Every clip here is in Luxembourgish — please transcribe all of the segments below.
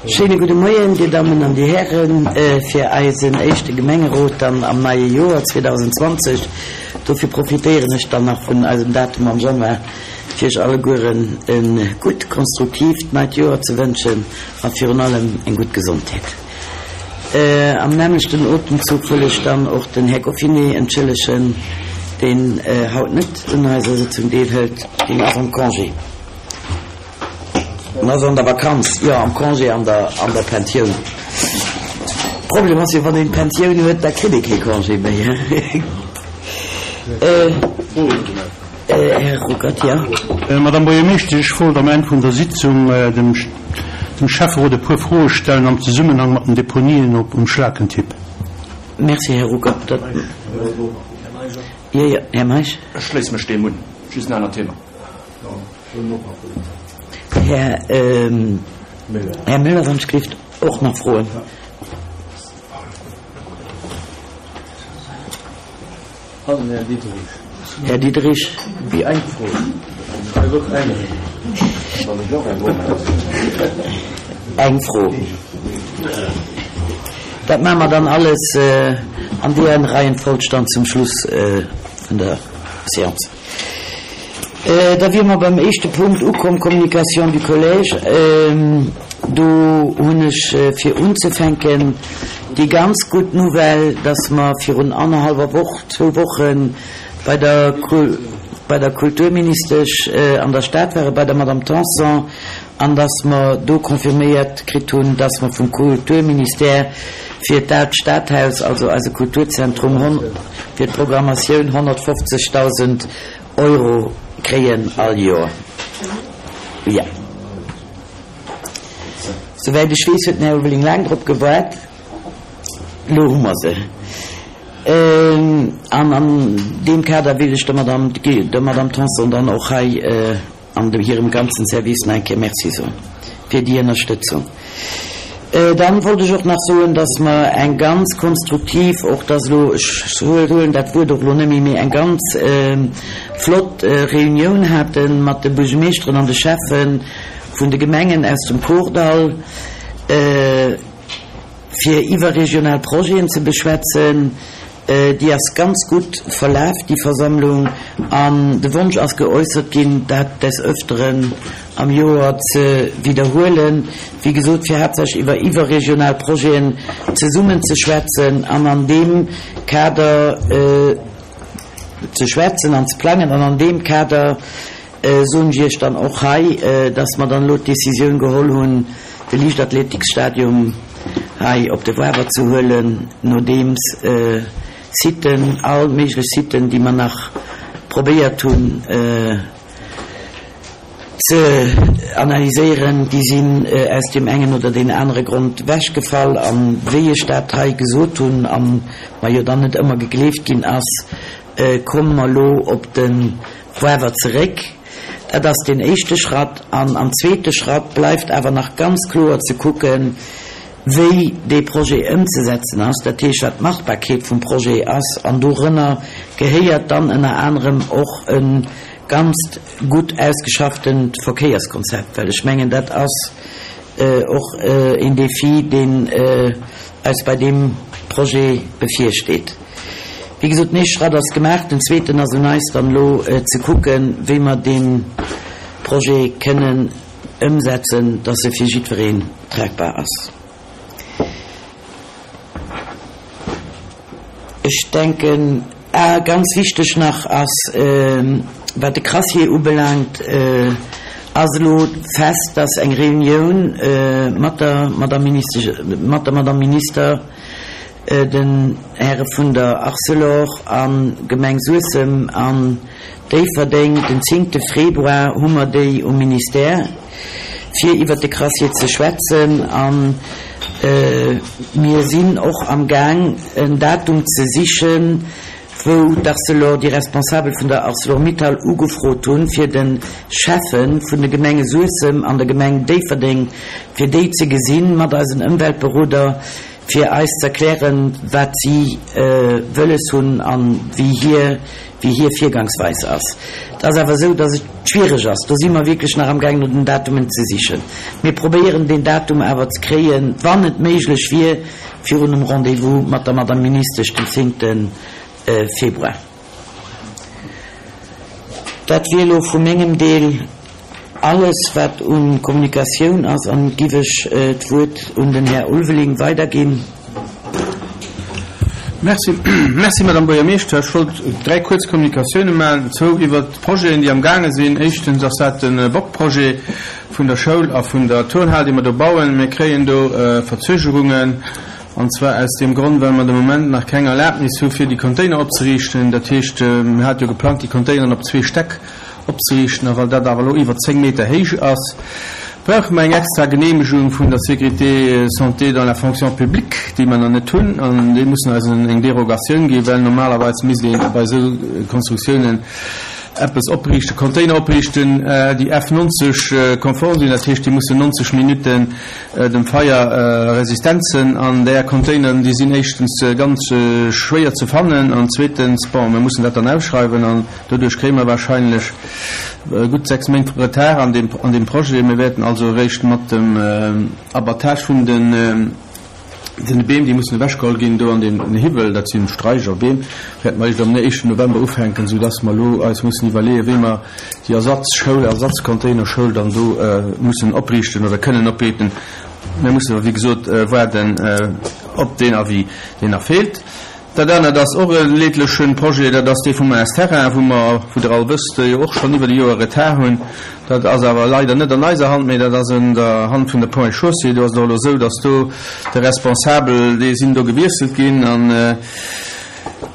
Schéine gudde Moien, Dir Dammen an Dir Hären, fir eisen éischte Gemengerot dann am neie Joer 2020. Dofir profitéieren ech dann nach vun eisem Datum am Januar, fir Iech allegueren e gutt, konstruktiivt neit Joer ze wënschen a virun allem eng gutt Gesondheet. Am nämmlechten Otemzuch wëll ech dann och den Här Goffinet entschëllegen, deen haut net un eiser Sëtzung deelhëlt. Deen ass am Congé. En ass an der Vakanz, jo, am Congé, an der, an der Pensioun. Problem ass jo, wann een d'Pensioun huet, da kritt ee kee Congé méi, hein. Här Ruckert, jo. Madame Buergermeeschtesch, ech wollt am Enn vun der Sitzung dem dem Schäfferot e puer Froe stellen am Zesummenhang mat den Deponien op um Schlakentipp. Merci, Här Ruckert. Dat, jo, jo, Här Meisch. Ech schléisse mech deem un. Just en anert Thema. Här Müller, wann ech gelift och nach froen. Här Diderich. Eng Fro. Eng Fro. Dat maache mer dann alles an deer Reihenfolg dann zum Schluss vun der Séance. Da wiere mer beim éischte Punkt ukomm, Communication du collège. Do hunn ech fir unzefänken déi ganz gutt Nouvelle, dass mer virun annerhallwer Woch, zwou Woche bei der bei der Kulturministesch an der Stad ware bei der Madame Tanson, an dass mer do confirméiert kritt hunn, dass mer vum Kulturministère fir d'Aalt Stadhaus, also eise Kulturzentrum, fir d'Programmatioun 150.000 Euro kréien all Joer. Jo. Souwäit ech weess, huet den Här Ulveling laang drop gewaart. Elo hu mer se. An an deem Kader wéilt ech der Madame, der Madame Tanson dann och hei an dem hirem ganzen Service nach eng Kéier Merci soen fir déi Ënnerstëtzung. Dann wollt ech och nach soen, dass mer eng ganz konstruktiv, och dass elo, ech huelen dat Wuert och elo net méi, mee eng ganz flott Reunioun hate mat de Buergermeeschteren an de Schäffe vun de Gemengen aus dem Kordall, fir iwwerregional Projeten ze beschwätzen. Déi ass ganz gutt verlaf, déi Versammlung, an de Wonsch ass geäussert ginn, dat des Öfteren am Joer ze widderhuelen, wéi gesot, fir haaptsächlech iwwer iwwerregional Projeten zesummen ze schwätzen an an deem Kader ze schwätzen an ze plangen. An an deem Kader soen ech Iech dann och hei, dass mer dann elo d'Décisioun geholl hunn, de Liichtathletiksstadium hei op de Wawer ze huelen, nodeems Siten, all méiglech Siten, déi mer nach probéiert hunn ze analyséieren, déi sinn aus deem engen oder deen anere Grond wechgefall. A wéi ech dat hei gesot hunn a mer jo dann net ëmmer gegleeft ginn ass, komme mer elo op de Wawer zeréck. Dat ass deen éischte Schratt. An am zweete Schratt bleift awer nach ganz kloer ze kucken, wéi dee Projet ëmzesetzen ass, dat heescht, wat d'Machbarkeet vum Projet ass. An dorënner gehéiert dann ënner anerem och e ganzt gutt ausgeschafftent Verkéierskonzept, well ech mengen, dat ass och een Défi, deen eis bei deem Projet bevirsteet. Wéi gesot, den éischte Schratt ass gemaach, den zweeten ass un eis dann elo ze kucken, wéi mer dee Projet kënnen ëmsetzen, dass e fir jiddwereen tragbar ass. Ech denken, ah, ganz wichteg nach ass, wat de Crassier ubelaangt, ass elo fest, dass eng Reunioun mat der Madame Ministesch, mat der Madame Minister, den Häre vun der Arcelor a Gemeng Suessem an Déifferdeng. Den zéngte Februar hu mer déi um Ministère, fir iwwert de Crassier ze schwätzen. A mir sinn och am Gaang, en Datum ze sichen, wou d'Arcelor, déi Responsabel vun der Arcelor-Mittal ugefrot hunn, fir de Schäffe vun de Gemenge Suessem an der Gemeng Déifferdeng, fir déi ze gesinn, mat eisen Ëmweltberoder. fir eis z'erklären, wat si wëlles hunn a wéi hir, wéi hir Virgangsweis ass. Et ass awer esou, dass et schwiereg ass. Do si mer wierklech nach amgaang no den Datumen ze sichen. Mir probéieren deen Datum awer ze kréien, wann et méiglech wier, virun dem Rendez-vous mat der Madame Ministesch den zéngte Februar. Dat wier elo vu mengem Deel alles, wat u Kommunikatioun ass, an giff ech d'Wuert un den Här Ulveling weiderginn. Merci, merci Madame Buergermeeschter. Ech wollt dräi kuerz Kommunikatioune maachen, zwou iwwert Projeten, déi am gaange sinn. Éischtens ass dat de Bock-Projet vun der Schoul a vun der Turnhal, déi mer do bauen. Mir kréien do Verzögerungen. An zwar aus deem Grond, well mer de Moment nach keng Erlaabnis hu fir déi Container opzeriichten. Dat heescht, mir hate jo geplangt, déi Containeren op zwee Stäck opzeriichten. A well dat awer elo iwwer 10 Meter héich ass, brauche mer eng extra Genehmegung vun der Sécurité santé dans la fonction publique, déi mer nach net hunn. An déi mussen eis eng Derogatioun ginn, well normalerweis misst ee bei esou Konstruktiounen eppes opriichten, Container opriichten, déi F 90 konform sinn. Dat heescht, déi mussen 90 Minutten Dem Feier Resistenzen an där Containeren, déi sinn éischtens ganz schwéier ze fannen an zweetens, bon, mir mussen dat dann ausschreiwen an doduerch kréie mer wahrscheinlech gutt 6 Méint Retard an deem, an deem Projet. Mir wäerten also eréischt mat dem Abattage vun den, den Beem, déi mussen ewechgeholl ginn do an deem Hiwwel, dat si Straicher, Beem, wäerte mer eréischt am éischten November ufänken, soudass mer elo eis mussen iwwerleeën, wéi mer déi Ersatzschoul, Ersatzcontainerschoul dann do mussen opriichten oder kënnen opriichten. Mir mussen awer, wéi gesot, waarden op deen Avis, deen nach feelt. Dat anert ass och e leedleche Projet, dat ass dee vum AS Terrain, wou mer, wou Der all wësst, jo och schonn iwwer e Joer Retard hunn. Dat ass awer leider net an eiser Hand, mee dat ass an der Hand vun der Ponts et Chaussées. Do ass et och elo esou, dass do de Responsabel, déi sinn do gewiesselt ginn an,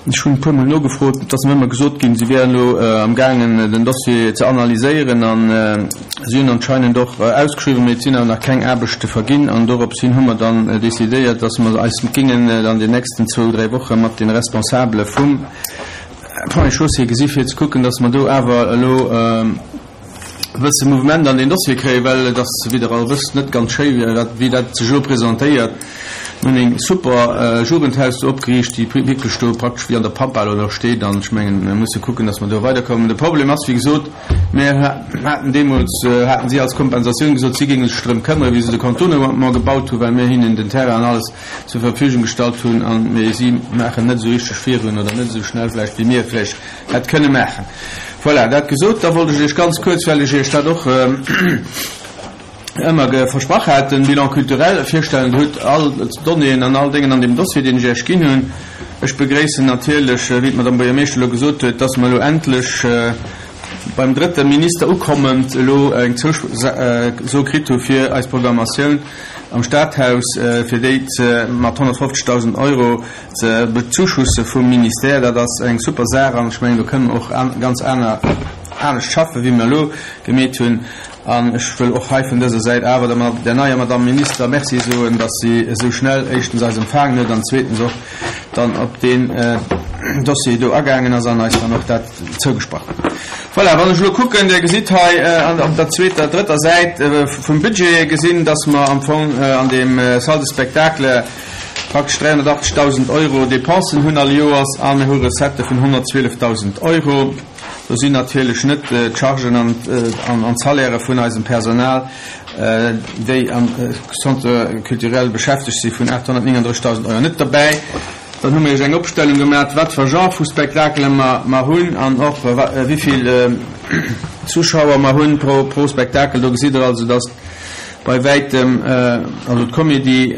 Ech hunn e puermol nogefrot, et ass mer ëmmer gesot ginn, si wären elo amgaangen den Dossier ze analyséieren an si hunn anscheinend och ausgeschriwwen, mee et sinn awer nach keng Aarbechte verginn an dorops hin hu mer dann decidéiert, dass mer eis gingen an den nächsten zwou, dräi Woche mat de Responsabele vum Ponts et Chaussées gesi fir ze kucken, dass mer do awer elo e bësse Mouvement an deen Dossier kréien, well et ass, wéi Der all wësst, net ganz schéi, wéi dat sech elo presentéiert. Mir hunn eng super Jugendhaus do opgeriicht, déi wierklech do praktesch wéi an der Pampa elo nach steet. An ech mengen, mir musse kucken, datt mer do weiderkommen. De Problem ass, wéi gesot, mir haten deemools, haten si als Kompensatioun gesot, si géinge sech drëm këmmere wéi se de Contournement gebaut hunn, well mir hinnen den Terrain an alles zur Verfügung gestallt hunn. An, mee si maachen net esou richteg virun oder net esou schnell vläicht, wéi mir et vläicht hätt kënne maachen. Voilà, dat gesot, da wollt ech Iech ganz kuerz, well ech Iech dat och ëmmer versprach hat, den Bilan culturel virstellen. Dir hutt all d'Donnéeën an all Déngen an deem Dossier, deen ech Iech ginn hunn. Ech begréissen natierlech, wéi d'Madame Buergermeeschter elo gesot huet, dass mer elo endlech beim drëtte Minister ukommend elo eng Zouso kritt hu fir eis Programmatioun am Stadhaus, fir déi ze mat 150.000 Euro ze bezuschusse vum Ministère, dat ass eng super Saach an ech mengen, do kënnen mer och ganz aner, anescht schaffen, wéi mer elo gemeet hunn. An ech wëll och hei vun dëser Säit awer der, der neier Madame Minister Merci soen, dass si esou schnell éischtens eis empfaangen huet an zweetens och dann op deen Dossier do agaangen ass an eis dann och dat zougesprach huet. Voilà, wann ech elo kucken, Dir gesitt hei op der zweeter, drëtter Säit vum Budget gesinn, dass mer am Fong an deem Salle de spectacle, praktesch 380.000 Euro Dépensen hunn all Joers a mir hu Recettë vun 112.000 Euro. Do sinn natierlech net d'Chargen an d'Salairë vun eisem Personal, déi am Centre culturel beschäftegt si vun 839.000 Euro net derbäi. Dann hu mir Iech eng Opstellung gemaach, wat fir Genre vu Spektakele mer hunn an och wéi vill Zuschauer mer hunn pro Spektakel. Do gesitt Der also, dass Bei wäitem, also d'Comédie,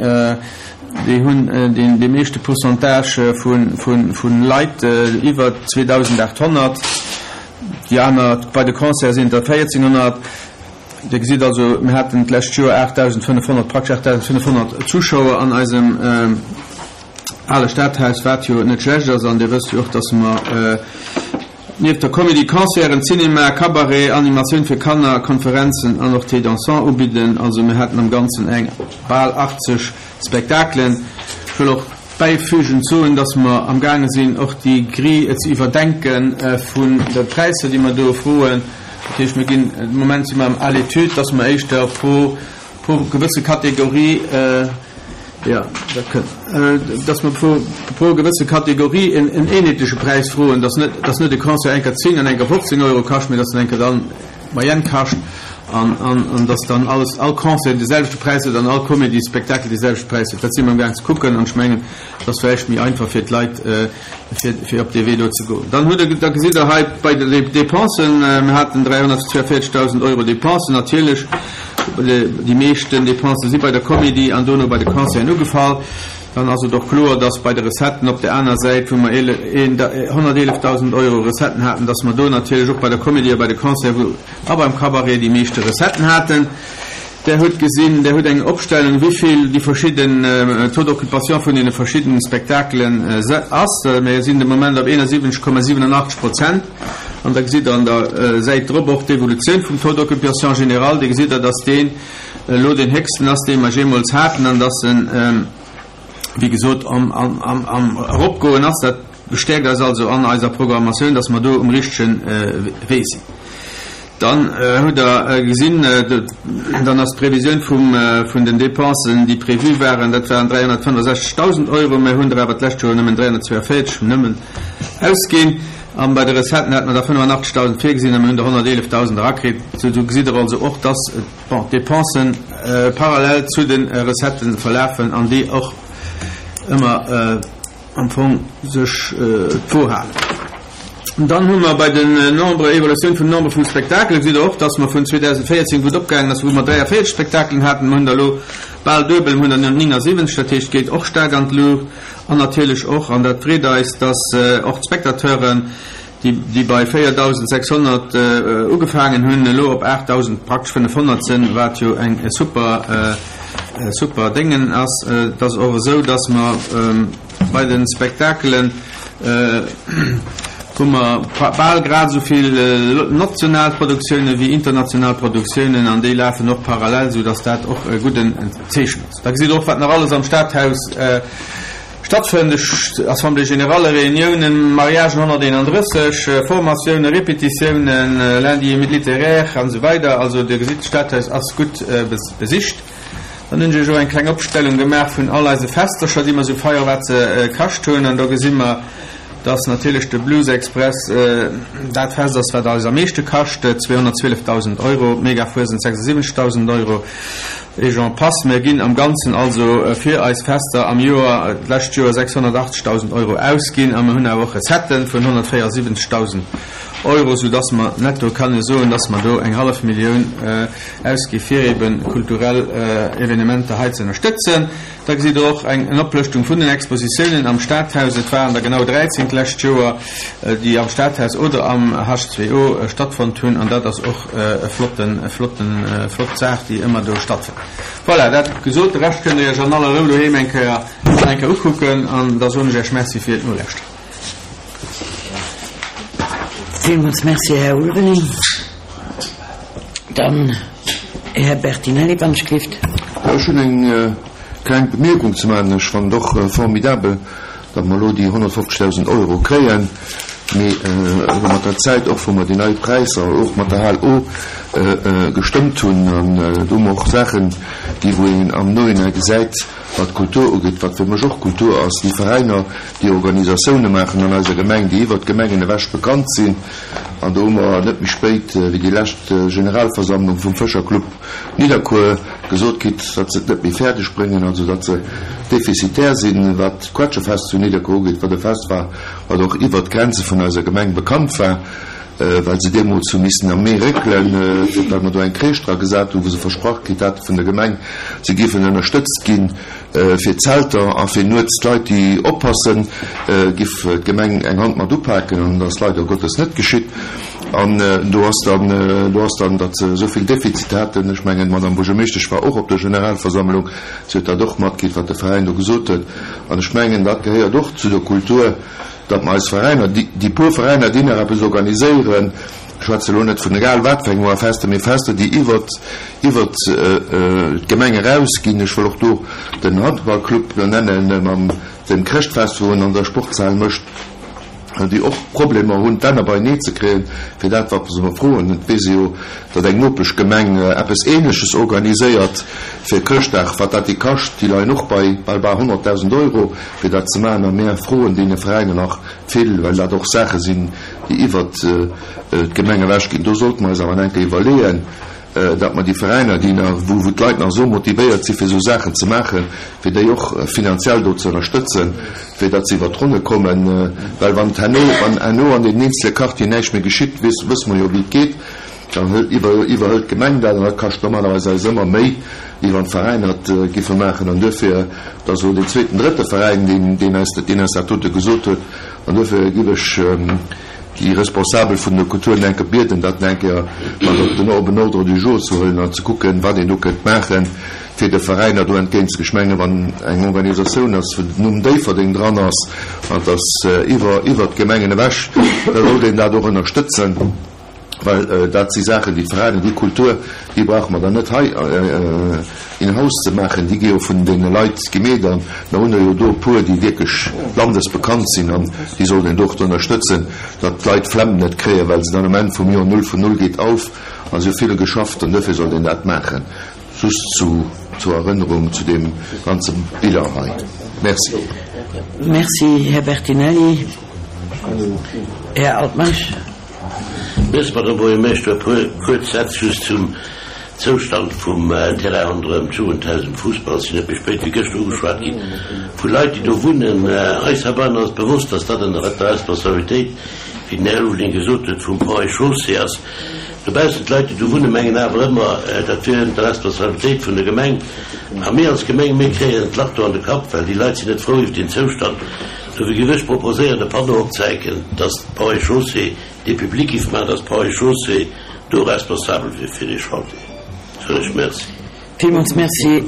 déi hunn dee meeschte Pourcentage vu Leit, iwwer 2.800. Déi aner, bei de Concerte sinn et der 1.400. Dir gesitt also, mir haten d'lescht Joer 8.500, praktesch 8.500 Zuschauer an eisem ale Stadhaus, wat jo net schlecht ass. An Dir wësst jo och, dass mer Nieft der Comédie, Concerten, Cinema, Cabaret, Animatioun fir Kanner, Konferenzen an och Thé dansant ubidden. Also mir haten am Ganzen eng bal 80 Spektakelen. Ech wëll och bäifügend soen, dass mer am gaange sinn och déi Grille ze iwwerdenke vun de Präisser, déi mer do froen. Dat heescht, mir ginn, de Moment si mer à l'étude, dass mer éischter pro, pro gewësse Kategorie. Jo, dat kënnt. Dass mer pro, pro gewësse Kategorie en, en eenheetleche Präis froen, dass net, dass net e Concert eng Kéier 10 an eng Kéier 15 Euro kascht, mee dass en eng Kéier dann d'Moyenne kascht an, an, an dass dann alles, all Concert de selwechte Präis huet an all Comédie-Spectacle de selwechte Präis huet. Dat si mer amgaang ze kucken an ech mengen, et ass vläicht méi einfach fir d'Leit, fir, fir op dee Wee do ze goen. Dann hutt Der, da gesitt Der hei bei de Dépensen, mir haten 342.000 Euro Dépensen. Natierlech, déi meeschten Dépensen si bei der Comédie an dono bei de Concerten ugefall. Dann ass et och kloer, dass bei de Recetten op där aner Säit, wou mer 111.000 Euro Recetten haten, dass mer do natierlech och bei der Comédie a bei de Concerten a beim Cabaret déi meeschte Recetten haten. Der hutt gesinn, Der hutt eng Opstellung, wéivill déi verschidden Taux d'occupation vun deene verschiddenen Spektakelen ass. Mir sinn de Moment op 71,87 Prozent. An da gesitt Der an der Säit drop och d'Evolutioun vum Taux d'occupation général. Dir gesitt Der, dass deen elo deen héchsten ass, dee mer jeemools haten, an dass en, wéi gesot, am Eropgoen ass. Dat bestäerkt eis also an eiser Programmatioun, dass mer do um richtege Wee sinn. Dann hutt Der gesinn, dann ass d'Previsioun vun den Dépensen, déi prévu waren, dat waren 365.000 Euro. Mir hunn der awer d'lescht Joer nëmmen 342, nëmmen, ausginn. A bei de Recetten hate mer der 85.000 virgesinn a mir hunn der 111.000 erakritt. Sou, do gesitt Der also och, dass, bon, d'Dépensen parallel zu de Recettë verlafen an déi och ëmmer, am Fong sech d'Wo halen. Dann hu mer bei den Nombre, Evolutioun vum Nombre vum Spektakelen, gesitt Der och, dass mer vun 2014, wou et opgaangen ass, wou mer 43 Spektakelen haten, mer hunn der elo bal duebel, mer hunn der 79, dat heescht, et geet och staark an d'Luucht. An natierlech och, an dat freet eis, dass och d'Spectateuren, déi, déi bei 4.600 ugefaangen hunn, elo op 8.000, praktesch 500 sinn, wat jo eng super, super Déngen ass. Et ass och esou, dass mer bei de Spektakelen hu mer bal grad esou vill national Produktiounen wéi international Produktiounen an déi lafen och parallel, soudass dat och e gudden Zeechen ass. Da gesitt Der och, wat nach alles am Stadhaus Stattfënnt, Assemblée générale, Reuniounen, Mariagen 131, Formatiounen, Répétitiounen, Lundi littéraire an esou weider. Also Dir gesitt, d'Stadhaus ass gutt besicht. Dann hunn ech Iech och eng kleng Opstellung gemaach vun all eise Festercher, déi mer esou feieren, wat se kascht hunn. An do gesi mer, dass natierlech de Blues Express dat Fest ass, wat eis am meeschte kascht, 212.000 Euro, d'Megafuesent 76.000 Euro. Et j'en passe. Mir ginn am Ganzen also fir eis Fester am Joer, d'lescht Joer 680.000 Euro ausginn a mir hunn awer och Recettë vun 174.000 Euro, soudass mer netto kanne soen, dass mer do eng hallef Millioun ausgi fir ebe kulturell Evenementer hei ze ënnerstëtzen. Da gesitt Der och eng Oplëschtung vun den Expositiounen am Stadhaus. Et waren der genau 13 d'lescht Joer, déi am Stadhaus oder am H2O stattfonnt hunn. An dat ass och e flotten, e flotten, flott Saach, déi ëmmer do stattfënnt. Voilà, dat gesot. De Rescht kënnt Der Iech an aller Rou doheem eng Kéier, nach eng Kéier ukucken. An da soen ech Iech Merci fir d'Nolauschteren. Villmools Merci, Här Ulveling. Dann Här Bertinelli, wann ech gelift. Jo, ech hunn eng kleng Bemierkung ze maachen. Ech fannen et och formidabel, datt mer elo déi 150.000 Euro kréien. Mee elo mat der Zäit och, wou mer déi nei Präisser och mat der Hal O gestëmmt hunn, an do hu mer och Saachen, déi wou een am Nohinein gesäit, wat d'Kultur ugeet, wat fir mech och Kultur ass, déi Veräiner, déi Organisatioune maachen an eiser Gemeng, déi iwwert d'Gemengen ewech bekannt sinn. An do hu mer net méi spéit wéi déi lescht Generalversammlung vum Fëscherclub Nidderkuer gesot kritt, datt se et net méi fäerdeg bréngen, also datt se defizitär sinn, wat d'Quetschefest zu Nidderkuer ugeet, wat e Fest war, wat och iwwert d'Grenze vun eiser Gemeng bekannt war, well se deemools hu missen am Mee réckelen, well mer do eng Crèche dra gesat hunn, wou se versprach kritt hate vun der Gemeng, se géifen ënnerstëtzt ginn. Fir d'Zelter a fir nuets d'Leit déi oppassen, giff d'Gemeng eng Hand mat upaken, an dat ass leider Gottes net geschitt. An do ass dann, do ass dann, datt se esou vill Defizit haten, ech mengen d'Madame Buergermeeschtesch war och op der Generalversammlung, si huet dat och matkritt wat de Veräin do gesot huet, an ech mengen dat gehéiert och zu der Kultur, datt mer eis Veräiner, déi puer Veräiner déi nach eppes organiséieren, Ech schwätze elo net vun egal wat fir engem Fester, mee Fester, déi iwwert, iwwert d'Gemeng erausginn. Ech wëll och do den Handballclub nennen mam dem Chrëschtfest, wou en an der Sportshal mécht. Déi och Problemer hunn, d'Enner beienee ze kréien, fir dat, wat se mer froen. Et weess ee jo, datt eng Nopeschgemeng eppes Ähnleches organiséiert fir Chrëschtdag. Wat dat déi kascht, déi leien och bei bal bal 100.000 Euro, fir dat ze maachen. A mär froen deene Veräiner nach vill, well dat och Saache sinn, déi iwwert d'Gemeng ewechginn. Do sollte mer eis awer eng Kéier iwwerleeën, datt mer déi Veräiner, déi nach, wou wou d'Leit nach esou motivéiert si fir esou Saachen ze maachen, fir déi och finanziell do ze ënnerstëtzen, fir datt se iwwert d'Ronne kommen. Well wann et herno, wann herno an deenen eenzele Quartieren näischt méi geschitt, weess, wësse mer jo wéi et geet, dann hëlt, iwwer, iwwerhëlt d'Gemeng dat an dat kascht normalerweis eis ëmmer méi, wéi wann d'Veräiner et giffe maachen. An duerfir, et ass elo deen zweeten, drëtte Veräin, deen, deen eis, deen eis dat dote gesot huet, an duerfir giff ech, déi Responsabel vun der Kultur eng Kéier bieden, dat eng Kéier mat op den op en Ordre du jour ze huelen an ze kucken, wat een do kënnt maachen, fir de Veräiner do entgéint. Ech menge wann eng Organisatioun ass, wou den Numm Déifferdeng dran ass, an et ass iwwer iwwert d'Gemengen ewech, da sollt een dat och ënnerstëtzen. Well dat si Saachen, déi d'Veräiner, déi Kultur, déi brauche mer dann net hei in house ze maachen, déi gi jo vun deene Leit gemeet. A mer hunn der jo do e puer, déi wierklech landesbekannt sinn an déi sollt een do och ënnerstëtzen, datt d'Leit d'Flemm net kréien, well se dann um Enn vum Joer null vun null geet auf a se hu vill geschafft an duerfir sollt een dat maachen. Just zu zur Erënnerung zu deem ganze Bilan hei. Merci. Merci, Här Bertinelli. Här Altmeisch. Merci, Madame Buergermeeschter. E puer kuerz Sätz just zum Zoustand vum Terrain ronderëm d'Jugendhaus um Fussball. Sinn net méi spéit wéi gëschter ugeschwat gi vu Leit, déi do wunnen. Eis heibannen ass bewosst, dass dat ënner der Responsabilitéit, wéi den Här Ulveling gesot huet, vum Ponts et Chaussées ass. Dobaussen, d'Leit, déi do wunnen, mengen awer ëmmer, dat wier ënner der Responsabilitéit vun der Gemeng. A mir als Gemeng, mir kréien d'Lach do an de Kapp, well déi Leit sinn net frou iwwer deen Zoustand. Dofir géif ech proposéieren, e Panneau opzehänken, dass d'Ponts et Chaussées dee public giff maachen, dass d'Ponts et Chaussées do responsabel wier fir dee Chantier. Soen ech Merci. Villmools Merci.